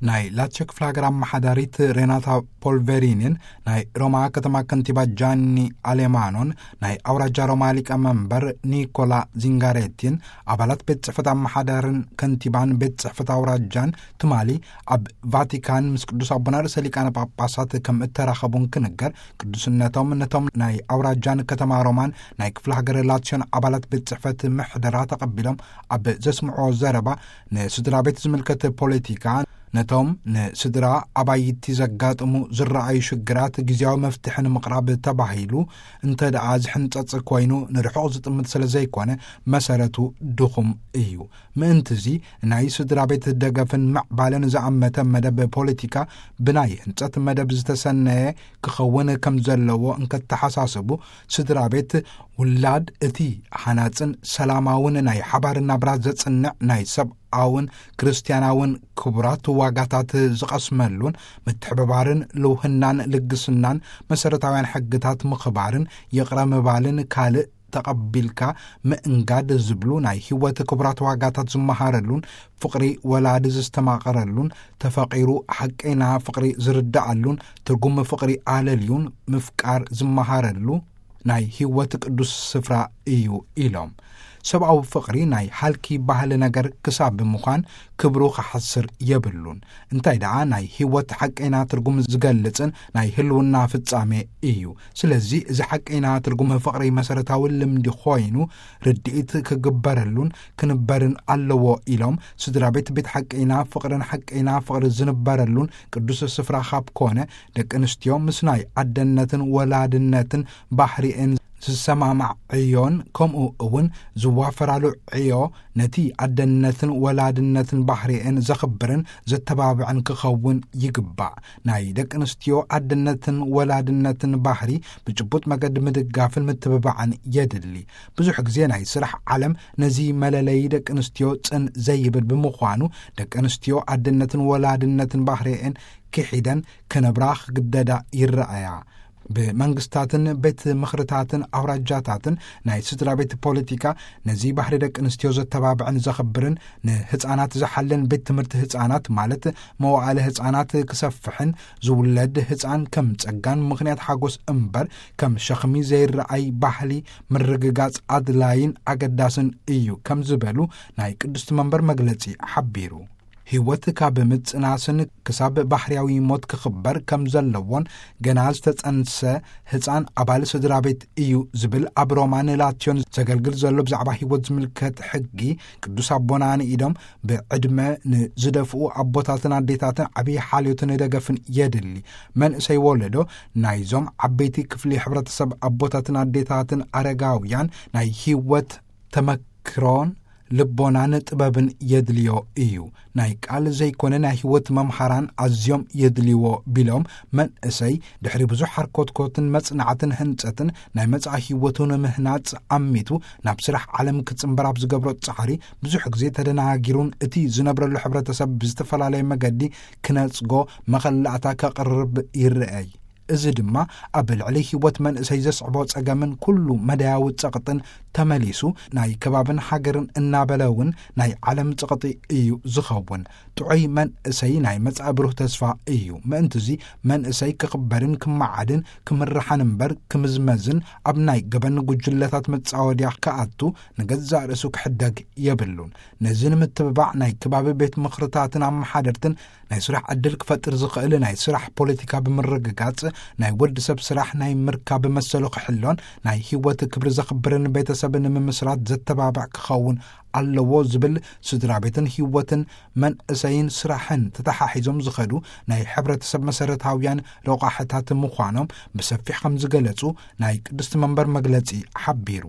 ናይ ላትዮ ክፍለ ሃገር ኣመሓዳሪት ሬናታ ፖልቬሪኒን ናይ ሮማ ከተማ ከንቲባ ጃኒ ኣሌማኖን ናይ ኣውራጃ ሮማ ሊቀ መንበር ኒኮላ ዚንጋሬቲን፣ ኣባላት ቤት ጽሕፈት ኣመሓዳርን ከንቲባን ቤት ጽሕፈት ኣውራጃን፣ ትማሊ ኣብ ቫቲካን ምስ ቅዱስ ኣቦና ርእሰ ሊቃነ ጳጳሳት ከም እተራኸቡን ክንገር፣ ቅዱስነቶም ነቶም ናይ ኣውራጃን ከተማ ሮማን ናይ ክፍለ ሃገር ላትዮን ኣባላት ቤት ጽሕፈት ምሕደራ ተቐቢሎም ኣብ ዘስምዕዎ ዘረባ፣ ንስድራ ቤት ዝምልከት ፖለቲካ፣ ነቶም ንስድራ ኣባይቲ ዘጋጥሙ ዝረኣዩ ሽግራት ግዜያዊ መፍትሒ ንምቕራብ ተባሂሉ እንተ ደኣ ዝሕንጸጽ ኮይኑ፣ ንርሑቕ ዝጥምት ስለ ዘይኮነ፣ መሰረቱ ድኹም እዩ። ምእንትዚ፣ ናይ ስድራ ቤት ደገፍን ምዕባለን ዝኣመተ መደብ ፖለቲካ ብናይ ህንጸት መደብ ዝተሰነየ ክኸውን ከም ዘለዎ እንከተሓሳስቡ፣ ስድራ ቤት ውላድ እቲ ሃናጽን ሰላማውን ናይ ሓባር ናብራ ዘጽንዕ ናይ ሰብኣውን ክርስትያናውን ክቡራት ዋጋታት ዝቐስመሉን፣ ምትሕብባርን ልውህናን ልግስናን መሰረታውያን ሕግታት ምኽባርን ይቕረ ምባልን ካልእ ተቐቢልካ ምእንጋድ ዝብሉ ናይ ህይወት ክቡራት ዋጋታት ዝመሃረሉን፣ ፍቕሪ ወላዲ ዝስተማቐረሉን፣ ተፈቒሩ ሓቀይና ፍቕሪ ዝርድኣሉን፣ ትርጉም ፍቕሪ ኣለልዩን ምፍቃር ዝመሃረሉ ናይ ህይወት ቅዱስ ስፍራ እዩ ኢሎም። ሰብኣዊ ፍቕሪ ናይ ሃልኪ ባህሊ ነገር ክሳብ ብምዃን ክብሩ ክሓስር የብሉን። እንታይ ደኣ ናይ ህይወት ሓቀይና ትርጉም ዝገልጽን ናይ ህልውና ፍጻሜ እዩ። ስለዚ እዚ ሓቀይና ትርጉም ፍቕሪ መሰረታዊ ልምዲ ኮይኑ ርድኢት ክግበረሉን ክንበርን ኣለዎ ኢሎም፣ ስድራ ቤት ቤት ሓቀይና ፍቕርን ሓቀይና ፍቕሪ ዝንበረሉን ቅዱስ ስፍራ ካብ ኮነ፣ ደቂ ኣንስትዮ ምስ ናይ ኣደነትን ወላድነትን ባህሪኤን ዝሰማማዕ ዕዮን ከምኡ እውን ዝዋፈራሉ ዕዮ ነቲ ኣደነትን ወላድነትን ባህሪኤን ዘኽብርን ዘተባብዕን ክኸውን ይግባእ። ናይ ደቂ ኣንስትዮ ኣደነትን ወላድነትን ባህሪ ብጭቡጥ መገዲ ምድጋፍን ምትብባዕን የድሊ። ብዙሕ ግዜ ናይ ስራሕ ዓለም ነዚ መለለዪ ደቂ ኣንስትዮ ጽን ዘይብል ብምዃኑ፣ ደቂ ኣንስትዮ ኣደነትን ወላድነትን ባህሪኤን ክሒደን ክነብራ ክግደዳ ይረኣያ። ብመንግስታትን ቤት ምኽርታትን ኣውራጃታትን ናይ ስድራ ቤት ፖለቲካ ነዚ ባህሪ ደቂ ኣንስትዮ ዘተባብዕን ዘኽብርን፣ ንህፃናት ዝሓልን ቤት ትምህርቲ ህፃናት ማለት መዋእለ ህፃናት ክሰፍሕን ዝውለድ ህፃን ከም ጸጋን ምኽንያት ሓጎስ እምበር ከም ሸኽሚ ዘይረኣይ ባህሊ ምርግጋጽ ኣድላይን ኣገዳስን እዩ ከም ዝበሉ ናይ ቅድስቲ መንበር መግለጺ ሓቢሩ። ህይወት ካብ ምጽናስን ክሳብ ባህርያዊ ሞት ክኽበር ከም ዘለዎን፣ ገና ዝተጸንሰ ህጻን ኣባል ስድራ ቤት እዩ ዝብል ኣብ ሮማን ላትዮን ዘገልግል ዘሎ ብዛዕባ ህይወት ዝምልከት ሕጊ፣ ቅዱስ ኣቦና ንኢዶም ብዕድመ ንዝደፍኡ ኣቦታትን ኣዴታትን ዓብዪ ሓልዮትን ደገፍን የድሊ። መንእሰይ ወለዶ ናይዞም ዓበይቲ ክፍሊ ሕብረተሰብ ኣቦታትን ኣዴታትን ኣረጋውያን ናይ ህይወት ተመክሮን ልቦናን ጥበብን የድልዮ እዩ። ናይ ቃል ዘይኮነ ናይ ህይወት መምሃራን ኣዝዮም የድልይዎ ቢሎም፣ መንእሰይ ድሕሪ ብዙሕ ሓርኮትኮትን መጽናዕትን ህንጸትን ናይ መጻኢ ህይወቱ ንምህናጽ ኣሚቱ ናብ ስራሕ ዓለም ክጽንበር ኣብ ዝገብሮ ጻዕሪ ብዙሕ ግዜ ተደናጊሩን እቲ ዝነብረሉ ሕብረተሰብ ብዝተፈላለየ መገዲ ክነጽጎ መኸላእታ ከቕርብ ይረኣይ። እዚ ድማ ኣብ ልዕሊ ህይወት መንእሰይ ዘስዕቦ ጸገምን ኩሉ መዳያዊ ጸቕጥን ተመሊሱ ናይ ከባብን ሃገርን እናበለ እውን ናይ ዓለም ጸቕጢ እዩ ዝኸውን። ጥዑይ መንእሰይ ናይ መጻኢ ብሩህ ተስፋ እዩ። ምእንትዚ መንእሰይ ክኽበርን ክመዓድን ክምርሓን እምበር ክምዝመዝን ኣብ ናይ ገበን ጉጅለታት መጻወድያ ክኣቱ ንገዛእ ርእሱ ክሕደግ የብሉን። ነዚ ንምትብባዕ ናይ ከባቢ ቤት ምኽርታትን ኣመሓደርትን ናይ ስራሕ ዕድል ክፈጥር ዝኽእል ናይ ስራሕ ፖለቲካ ብምርግጋጽ፣ ናይ ወዲ ሰብ ስራሕ ናይ ምርካብ መሰሉ ክሕሎን ናይ ህይወት ክብሪ ዘኽብርን ቤተሰብ ንምምስራት ዘተባብዕ ክኸውን ኣለዎ ዝብል፣ ስድራ ቤትን ህይወትን መንእሰይን ስራሕን ተተሓሒዞም ዝኸዱ ናይ ሕብረተሰብ መሰረታውያን ረቋሕታት ምዃኖም ብሰፊሕ ከም ዝገለጹ ናይ ቅድስቲ መንበር መግለጺ ሓቢሩ።